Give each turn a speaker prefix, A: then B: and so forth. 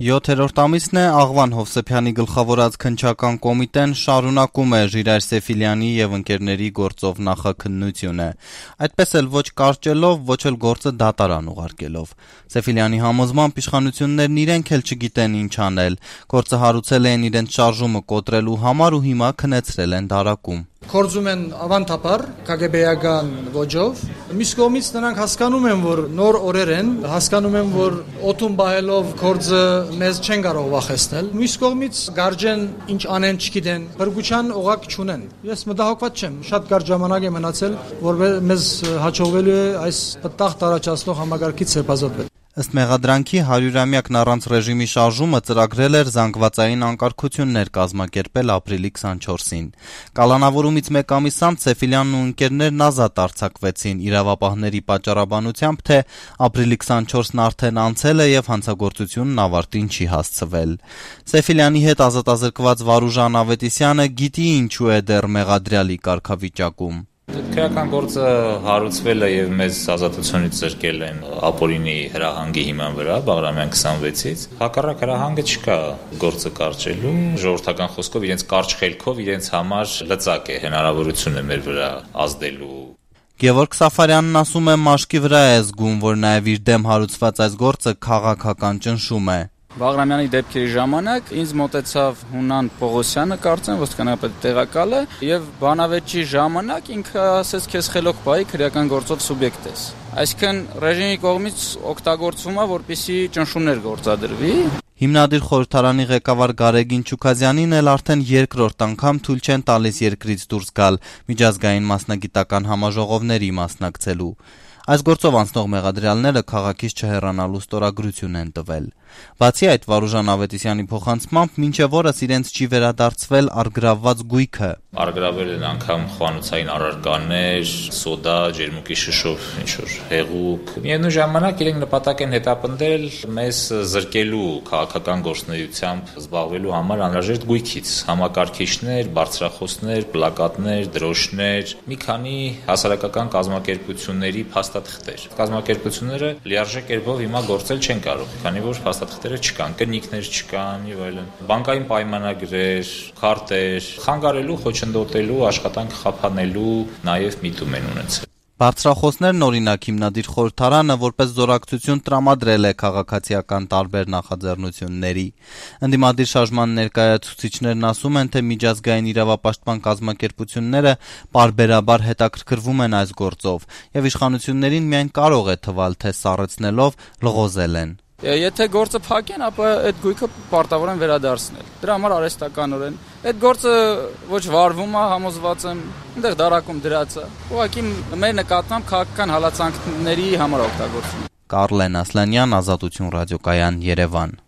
A: 7-րդ ամիսն է Աղվան Հովսեփյանի գլխավորած քննչական կոմիտեն շարունակում է Ժիրայր Սեֆիլյանի եւ ընկերների գործով նախաքննությունը, այդպես էլ ոչ կարճելով, ոչ էլ գործը դատարան ուղարկելով։ Սեֆիլյանի համոզմամբ իշխանություններն իրենք էլ չգիտեն ինչ անել, գործը հարուցել են իրենց շարժումը կոտրելու համար ու հիմա քնեցրել են դարակում։
B: Գործում են ավանդաբար KGB-ական ոճով։ Մյուս կողմից նրանք հասկանում են, որ նոր օրեր են, հասկանում են, որ օդում բահելով գործը մեզ չեն կարող վախեցնել։ Մյուս կողմից գարջեն ինչ անեն չգիտեն, բրգուչան օղակ չունեն։ Ես մտահոգված չեմ, շատ կարճ ժամանակ է մնացել, որ մեզ հաջողվելու է այս պտտաղ տարածացնող համագարկից սեպազատվել։
A: Ըստ մեղադրանքի 100-ամյակն առանց ռեժիմի շարժումը ծրագրել էր զանգվածային անկարգություններ կազմակերպել ապրիլի 24-ին։ Կալանավորումից մեկ ամիս անց Սեֆիլյանն ու ընկերներն ազատ արձակվեցին իրավապահների պատճառաբանությամբ, թե ապրիլի 24-ն արդեն անցել է եւ հանցագործությունն ավարտին չի հասցվել։ Սեֆիլյանի հետ ազատազրկված Վարուժան Ավետիսյանը գիտի ինչու է դեռ մեղադրյալի կարգավիճակում։
C: Քրեական գործը հարուցվել է եւ մեզ ազատությունից զրկել են ապօրինի հրահանգի հիման վրա Բաղրամյան 26-ից։ Հակառակ հրահանգը չկա գործը կարճելու, ժողովրդական խոսքով իրենց կարճ խելքով իրենց համար լծակ է, հնարավորություն է մեր վրա ազդելու։
A: Գևորգ Սաֆարյանն ասում է մաշկի վրա է զգում, որ նաեւ իր դեմ հարուցված այս գործը քաղաքական ճնշում է։
D: Բաղրամյանի դեպքերի ժամանակ ինձ մոտեցավ Հունան Պողոսյանը, կարծեմ ոստիկանապետի տեղակալը, եւ բանավեճի ժամանակ ինքը ասեց քեզ խելոք բայ քրեական գործով սուբյեկտ ես։ Այսինքն ռեժիմի կողմից օգտագործվում է, որպեսզի ճնշումներ գործադրվի։
A: Հիմնադիր խորհրդարանի ղեկավար Գարեգին Չուքազյանին էլ արդեն երկրորդ անգամ թույլ չեն տալիս երկրից դուրս գալ միջազգային մասնագիտական համաժողովների մասնակցելու։ Այս գործով անցնող մեղադրյալները քաղաքից չհեռանալու ստորագրություն են տվել։ Բացի այդ, Վարուժան Ավետիսյանի փոխանցմամբ մինչև օրս իրենց չի վերադարձվել առգրավված գույքը։
C: Առգրավել են անգամ խոհանոցային առարկաներ, սոդա, ջերմուկի շշով ինչ-որ հեղուկ։ Միևնույն ժամանակ իրենք նպատակ են հետապնդել մեզ զրկելու քաղաքական գործունեությամբ զբաղվելու համար անհրաժեշտ գույքից՝ համակարգիչներ, բարձրախոսներ, պլակատներ, դրոշներ, մի քանի հասարակական կազմակերպությունների փաստաթղթեր։ Կազմակերպությունները լիարժեք կերպով հիմա գործել չեն կարող, քանի որ փաստաթղթերը չկան, կնիկներ չկան եւ այլն։ Բանկային պայմանագրեր, քարտեր, խանգարելու, խոչընդոտելու, աշխատանք խափանելու նաեւ միտում են ունեցել։
A: Բարձրախոսներն օրինակ հիմնադիր խորհրդարանը որպես զորակցություն տրամադրել է քաղաքացիական տարբեր նախաձեռնությունների։ Ընդդիմադիր շարժման ներկայացուցիչներն ասում են, թե միջազգային իրավապաշտպան կազմակերպությունները պարբերաբար հետաքրքրվում են այս գործով եւ իշխանություններին միայն կարող է թվալ, թե սառեցնելով լղոզել են։
D: Եթե գործը փակեն, ապա այդ գույքը պարտավոր են վերադարձնել։ Դրա համար արհեստականորեն այդ գործը ոչ վարվում է, համոզված եմ, այնտեղ դարակում դրած է։ Ուղղակի մեր նկատմամբ քաղաքական հալածանքների համար օգտագործվում։
A: Կարլեն Ասլանյան, Ազատություն ռադիոկայան, Երևան։